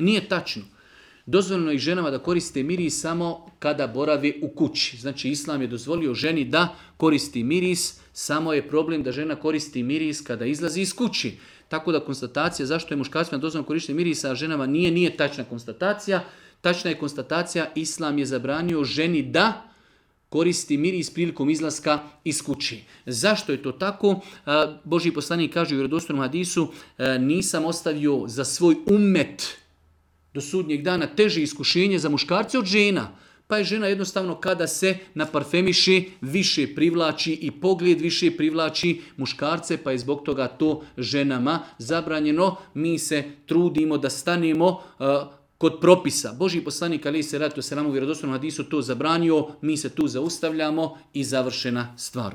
Nije tačno. Dozvoljeno je ženama da koriste miris samo kada borave u kući. Znači, Islam je dozvolio ženi da koristi miris, samo je problem da žena koristi miris kada izlazi iz kući. Tako da konstatacija zašto je muškarcima dozvoljeno korištenje mirisa, a ženama nije tačna konstatacija. Tačna je konstatacija, Islam je zabranio ženi da koristi miris prilikom izlaska iz kući. Zašto je to tako? Božji poslanik kaže u vjerodostojnom hadisu, nisam ostavio za svoj ummet do sudnjeg dana teže iskušenje za muškarce od žena. Pa je žena jednostavno kada se naparfemiše više privlači i pogled više privlači muškarce, pa je zbog toga to ženama zabranjeno. Mi se trudimo da stanemo kod propisa. Božji poslanik alejhi selatu vesselam u vjerodostojnom hadisu to zabranio, mi se tu zaustavljamo i završena stvar.